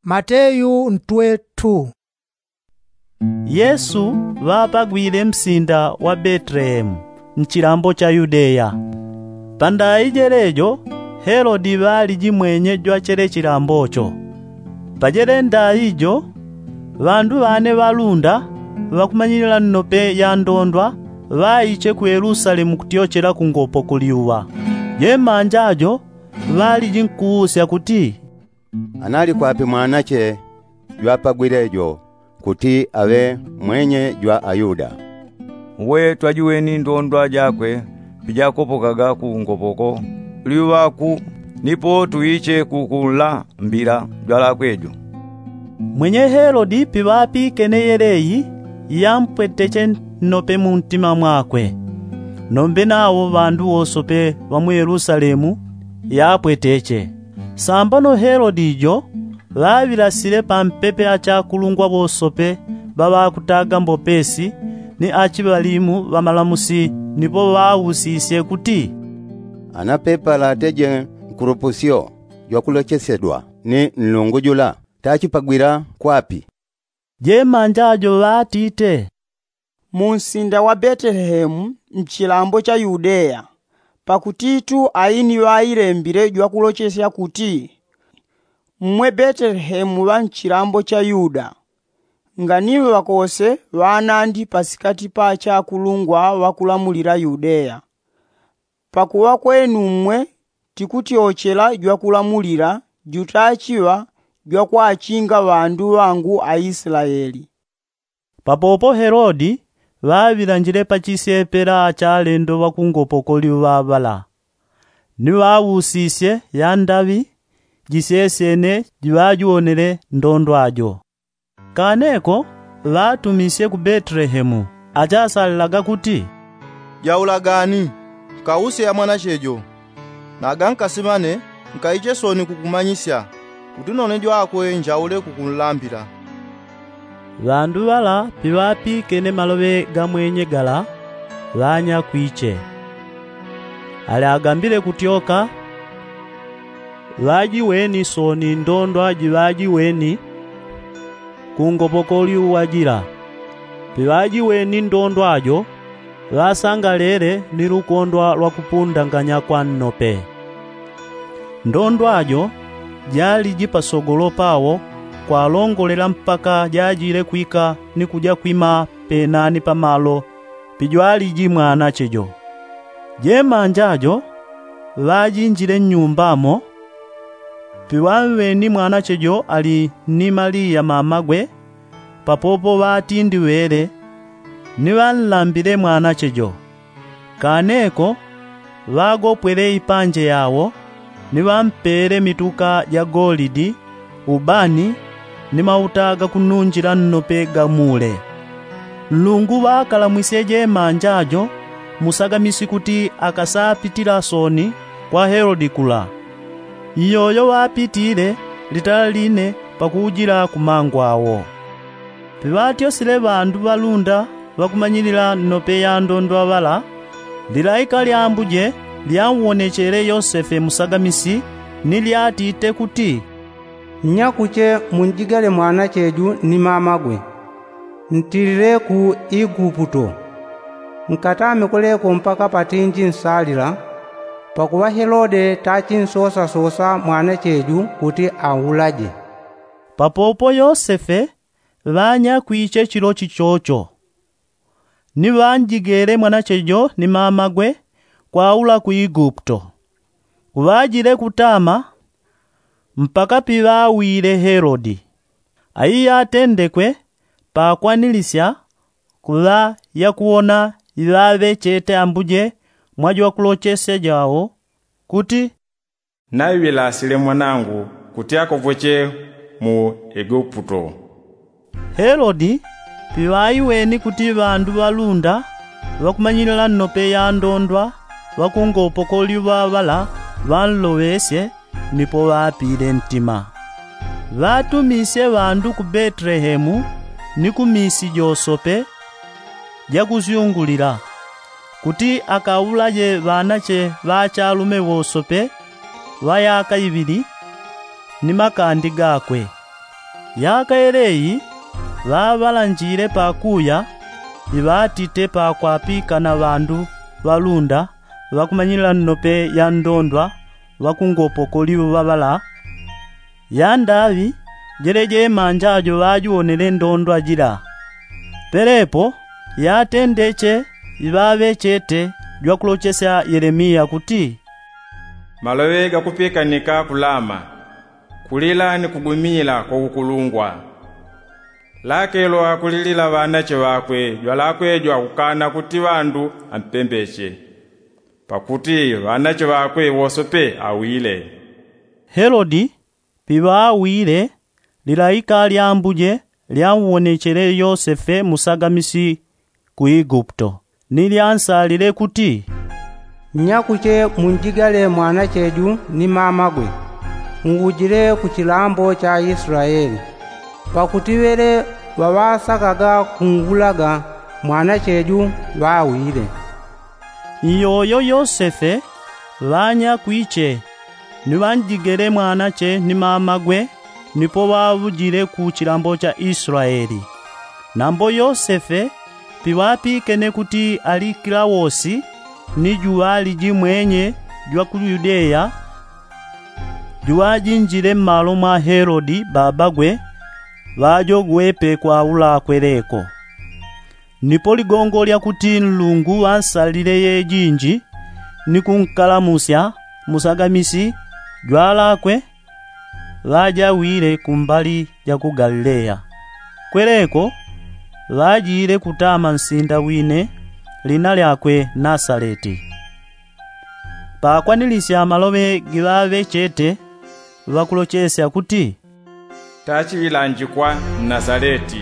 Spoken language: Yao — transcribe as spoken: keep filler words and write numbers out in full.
Mateyu ntwe tu. Yesu ŵapagwile msinda wa betelehemu, mchilambo cha yudeya. Pandayi jelejo, helodi ŵaliji mwenye jwa chele chilambo cho. Pajele ndayi jo, ŵandu ŵane ŵalunda, ŵakumanyilila nnope ya ndondwa, ŵaiche ku yelusalemu kutyochela kungopo kuliuŵa. Jemanja jo, ŵaliji nkuusya kuti, analikwapi mwanache jwapagwile jo kuti aŵe mwenye jwa ayuda? Uwe twajiweni ndondwa jakwe pijakopokaga kungopoko liuŵaku, nipo tuiche kukunlambila jwalakwe jo. Mwenye helodi piŵapikene yeleyi, yampweteche nnope muntima mwakwe. Nombe nawo ŵandu wosope ŵa mu yelusalemu, yapweteche. Sambano helodi jo, ŵaŵilasile pampepe achakulungwa ŵosope ŵaŵakutaga mbopesi, ni achiŵalimu ŵa malamusi, nipo ŵausisye kuti, anapepala ateje nkulupusyo jwakulochesyedwa ni nlungu jula, tachipagwila kwapi? Jemanja jo ŵatite, munsinda wa betelehemu, mchilambo cha yudeya. Pakutitu aini ŵailembile jwakulochesya kuti, mmwe betelehemu ŵa mchilambo cha yuda, nganiŵakose ŵanandi pasikati pa achakulungwa ŵakulamulila yudeya. Pakuŵa kwenu mmwe tikutyochela jwakulamulila jutachiŵa jwakwachinga ŵandu ŵangu aislaeli. Papopo helodi ŵaŵilanjile pachisyepela achalendo ŵakungopoko liuŵa ŵala, ni ŵausisye yandaŵi jisyesyene jiŵajiwonele ndondwa jo. Kaneko ŵatumisye ku betelehemu, achasalilaga kuti, jaulagani, nkause ya mwanache jo, naga nkasi ŵane nkaiche sooni kukumanyisya, kuti none jwakwe njaule kukunlambila. Ŵandu ŵala piŵapikene maloŵe ga mwenye gala, ŵanyakwiche. Ali agambile kutyoka, ŵajiweni sooni ndondwa jiŵajiweni kungopoko liuŵa jila. Piŵajiweni ndondwa jo, ŵasangalele ni lukondwa lwa kupundanganya kwa nnope. Ndondwa jo jaliji pasogolo pawo kwalongolela mpaka jajile kwika ni kuja kwima penani pamalo pijwaliji mwanache jo. Jemanja jo ŵajinjile nnyumba mo, piŵamweni mwanache jo ali ni maliya mamagwe, papopo ŵatindiŵele, ni ŵanlambile mwanache jo. Kaneko ŵagopwele ipanje yawo, ni ŵampele mituka ja golidi, ubani, ni mauta gakununjila nnope ga mule. Nlungu ŵakalamwisye jemanja jo musagamisi kuti akasapitila sooni kwa helodi kula. Iyoyo ŵapitile litala line pakuujila ku mangu awo. Piŵatyosile ŵandu ŵalunda ŵakumanyilila nnope ya ndondwa ŵala, lilaika lya ambuje lyanwonechele yosefe musagamisi, ni lyatite kuti, nnyakuche munjigale mwanache ju ni mamagwe, ntilile ku iguputo, nkatame kuleko mpaka patinji nsalila, pakuŵa helode tachinsosasosa mwanache ju kuti aulaje. Papopo yosefe ŵanyakwiche chilo chichocho, ni ŵanjigele mwanache jo ni mamagwe kwaula ku iguputo. Kuŵajile kutama mpaka piŵawile helodi. Aiya atendekwe pakwanilisya kuŵa yakuwona iŵaŵechete ambuje mwa jwakulochesya jawo, kuti, naiŵilasile mwanangu kuti akopoche mu iguputo. Helodi piŵaiweni kuti ŵandu ŵalunda ŵakumanyilila nnope ya ndondwa ŵakungopo koliŵa ŵala ŵanloŵesye, nipo ŵapile ntima. Ŵatumisye ŵandu ku betelehemu ni ku misi josope jakusyungulila, kuti akaulaje ŵanache ŵa achalume ŵosope ŵa yaka iŵili, ni makandi gakwe. Yaka yeleyi ŵaŵalanjile pakuya iŵatite pakwapikana ŵandu ŵalunda ŵakumanyilila nnope ya ndondwa ŵakungopokoli ŵaŵala. Yandaŵi jeleje manjajo ŵajuwonele ndondwa jila. Pelepo yatendeche iŵaŵechete jwakulochesya yelemiya kuti, maloŵe gakupikanika ku lama, kulila ni kugumila kwa ukulungwa. Lakelo akulilila ŵanache ŵakwe jwalakwe jwakukana kuti ŵandu ampembeche, pakuti ŵanache ŵakwe wosepe awile. Helodi piŵaawile, lilaika lya ambuje lyanwonechele yosefe musagamisi ku iguputo, ni lyansalile kuti, nnyakuche munjigale mwanache ju ni mamagwe, muwujile ku chilambo cha israeli, pakuti ŵele ŵaŵasakaga kungulaga mwanache ju ŵawile. Iyoyo yosefe ŵanyakwiche ni ŵanjigele mwanache ni mamagwe, nipo ŵaŵujile ku chilambo cha israeli. Nambo yosefe piŵapikene kuti alikilawosi ni juŵaliji mwenye jwa ku yudeya, juŵajinjile mmalo mwa helodi babagwe, ŵajogwepe kwaula kweleko. Nipo ligongo lya kuti nlungu ŵansalile yejinji ni kunkalamusya musagamisi jwalakwe, ŵajawile kumbali ja ku galileya. Kweleko ŵajile kutama nsinda wine lina lyakwe nasaleti. Pakwanilisya maloŵe giŵaŵechete ŵakulochesya kuti, tachiŵilanjikwa mnasaleti.